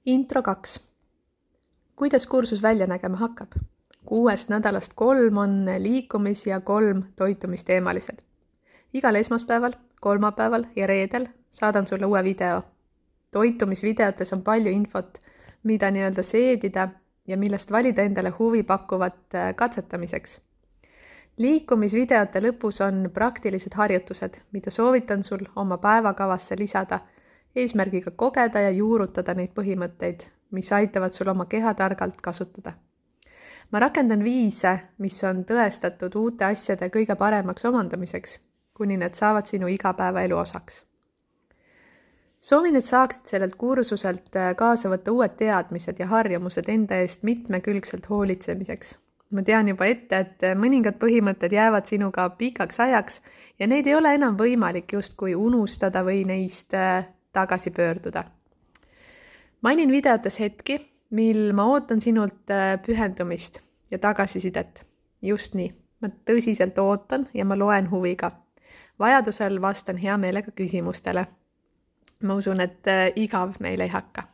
Intro 2. Kuidas kursus välja nägema hakkab? 6 nädalast 3 on liikumis- ja 3 toitumisteemalised. Igal esmaspäeval, kolmapäeval ja reedel saadan sulle uue video. Toitumisvideotes on palju infot, mida seedida ja millest valida endale huvi pakkuvat katsetamiseks. Liikumisvideote lõpus on praktilised harjutused, mida soovitan sul oma päevakavasse lisada, eesmärgiga kogeda ja juurutada neid põhimõtteid, mis aitavad sul oma keha targalt kasutada. Ma rakendan viise, mis on tõestatud uute asjade kõige paremaks omandamiseks, kuni need saavad sinu igapäevaelu osaks. Soovin, et saaksid sellelt kursuselt kaasa võtta uued teadmised ja harjumused enda eest mitmekülgselt hoolitsemiseks. Ma tean juba ette, et mõningad põhimõtted jäävad sinuga pikaks ajaks ja neid ei ole enam võimalik justkui unustada või neist tagasi pöörduda. Mainin videotes hetki, mil ma ootan sinult pühendumist ja tagasisidet. Just nii, ma tõsiselt ootan ja ma loen huviga. Vajadusel vastan hea meelega küsimustele. Ma usun, et igav meil ei hakka.